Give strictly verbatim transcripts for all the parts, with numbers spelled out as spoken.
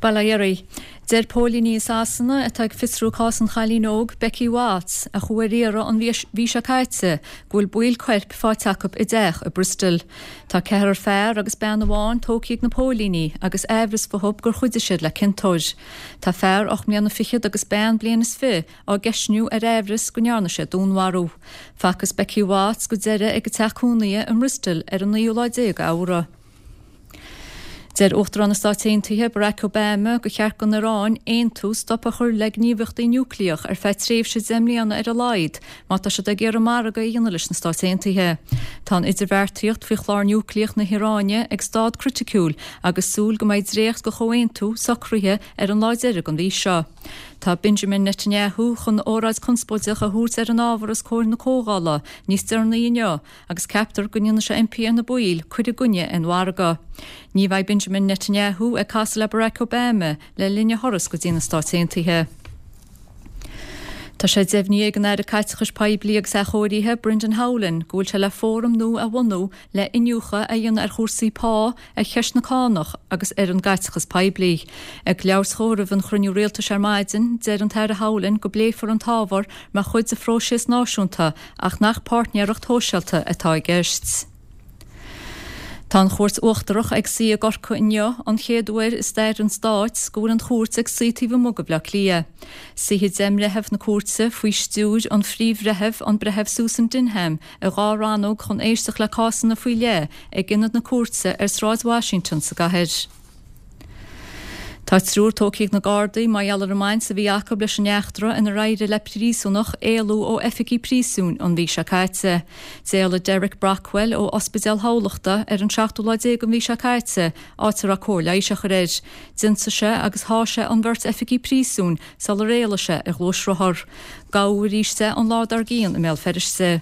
Bail ó Dhia oraibh. Deir póilíní i Sasana atá ag fiosrú cás an chailín óg Becky Watts a chuaigh ar iarraidh an mhí seo caite go bhfuil baill coirp faighte acu i dteach i Bristol. Tá ceathrar fear agus bean amháin tógtha ag na póilíní agus aimhreas fúthu gur chuidigh siad le ciontóir. Tá fear ocht mbliana fichead agus bean bliain is fiche á gceistniú ar aimhreas go ndearna sé dúnmharú. Facthas Becky Watts go deireadh ag a teach cónaithe i mBristol ar an naoú lá déag Fheabhra. Deir Uachtarán na Stát Aontaithe Barack Obama gur cheart don Iaráin aontú stop a chur le gníomhaíochtaí núicléach ar feadh tréimhse deich mbliana ar a laghad má tá siad ag iarraidh margadh a dhéanamh leis na Stáit Aontaithe. Tá an idirbheartaíocht faoi chlár núicléach na hIaráine ag staid criticiúil agus súil go mbeidh dréacht de chomhaontú socraithe ar an lá deiridh den mhí seo. Tá Benjamin Netanyahu chun óráid conspóideach a thabhairt ar an ábhar os comhair na comhdhála níos deireanaí inniu agus ceaptar go ndéanfaidh sé impí ar na baill cur i gcoinne an mhargaidh. Ní bheidh Benjamin Netanyahu ag casadh le Barack Obama le linn a thuras go dtí na Stáit Aontaithe. Tá sé deimhnithe ag an Aire Caiteachais Poiblí agus Athchóirithe Brendan Howlin go bhfuil sé le fóram nua a bhunú le iniúchadh a dhéanamh ar chúrsaí pá ar cheist na cánach agus ar an gcaiteachas poiblí. Ag labhairt dó roimh an chruinniú rialtais ar maidin, deir an tAire Howlin go bpléifear an t-ábhar mar chuid de phróiseas náisiúnta ach nach páirtnéireacht shóisialta atá i gceist. Tá an Chúirt Uachtarach ag suí i gCorcaigh inniu an chéad uair i stair an stáit go bhfuil an chúirt ag suí taobh amuigh de Bhaile Átha Cliath. Suífidh deich mbreitheamh na cúirte faoi stiúir an phríomh-bhreithimh an Breitheamh Susan Dinham i dhá rannóg chun éisteacht le cásanna faoi leith ag ionad na cúirte ar Sráid Washington sa gcathair. Tá triúr tógtha ag na Gardaí mar gheall ar an mbaint a bhí acu leis an eachtra inar éirigh le príosúnach éalú ó oifigí príosúin an mhí seo caite. D'éalaigh Derek Brockwell ó Ospidéal Thamhlachta ar an seachtú lá déag den mhí seo caite, áit a raibh cóir leighis á chur air. D'ionsaigh sé agus sháigh sé an bheirt oifigí príosúin sular éalaigh sé ar ghluaisrothar. Gabhadh arís é an lá dár gcionn i mBéal Feirste.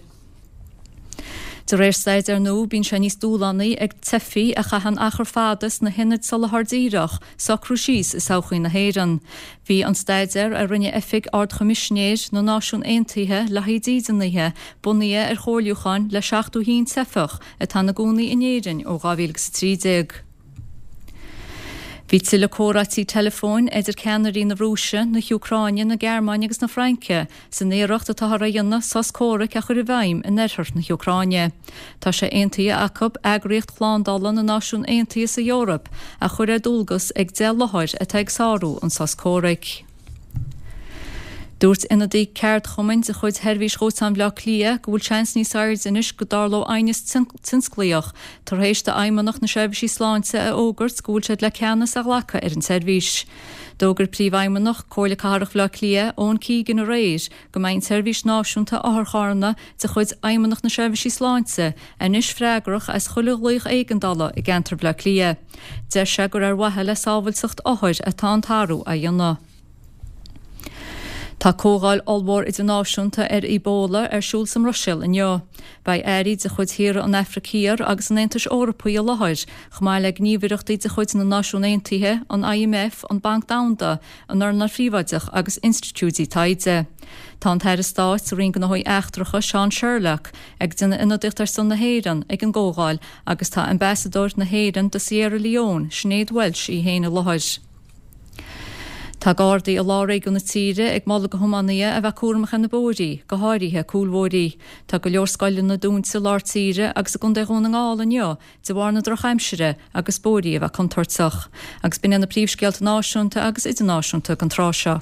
De réir staidéir nua bíonn sé níos dúshlánaí ag teifigh a chaitheann achar fada sna hionaid soláthair díreach socrú síos i sochaí na hÉireann. Bhí an staidéar a rinne Oifig Ard-Choimisinéir na Náisiún Aontaithe le haghaidh dídeanaithe bunaithe ar chomhairliúcháin le seachtó a haon teifeach atá ina gcónaí in Éirinn ó dhá mhíle agus a trí déag. Bhí tuilleadh comhráití teileafóin idir ceannairí na Rúise, na hÚcráine, na Gearmáine agus na Fraince san iarracht atáthar a dhéanamh sos comhraic a chur i bhfeidhm in oirthear na hÚcráine. Tá sé aontaithe acu eagraíocht shlándála na Náisiún Aontaithe sa Eoraip a chur ar dualgas ag deich láthair atá ag sárú an sos comhraic. Dúirt ionadaí ceardchumainn de chuid Sheirbhís Dhóiteáin Bhaile Átha Cliath go bhfuil seans níos airde anois go dtarlódh aighneas tionsclaíoch tar éis d'Fheidhmeannacht na Seirbhísí Sláinte a fhógairt go bhfuil siad le ceannas a ghlacadh ar an tseirbhís. D'fhógair Príomhfheidhmeannach Comhairle Cathrach Bhaile Átha Cliath, Owen Keegan aréir go mbeidh an tseirbhís náisiúnta otharcharranna de chuid Fheidhmeannacht na Seirbhísí Sláinte anois freagrach as chuile ghlaoch éigeandála i gceantar Bhaile Átha Cliath. Deir sé gur ar mhaithe le sábháilteacht othair atá an t-athrú á dhéanamh. Tá comhdháil ollmhór idirnáisiúnta ar Ebola ar siúl sa mBruiséil inniu. Beidh airí de chuid thíortha an Afraic Thiar agus an Aontais Eorpaigh i láthair, chomh maith le gníomhaireachtaí de chuid na Náisiún Aontaithe, an IMF, an Banc Domhanda, an earnáil phríobháideach agus institiúidí taighde. Tá an tAire Stáit sa Roinn Gnóthaí Eachtracha Seán Sherlock ag déanamh ionadaíocht ar son na hÉireann ag an gcomhdháil agus tá ambasadóir na hÉireann do Sierra Leone, Sinéad Walsh í féin i láthair. Tá Gardaí i lár-réigiún na tíre ag moladh do thiománaithe a bheith cúramach ar na bóithrí, go háirithe cúlbhóithrí. Tá go leor scoileanna dúnta i lár tíre agus i gContae Dhún na nGall inniu de bharr na drochaimsire agus bóithrí a bheith contúirteach. Agus b'in iad na príomhscéalta náisiúnta agus idirnáisiúnta don tráth seo.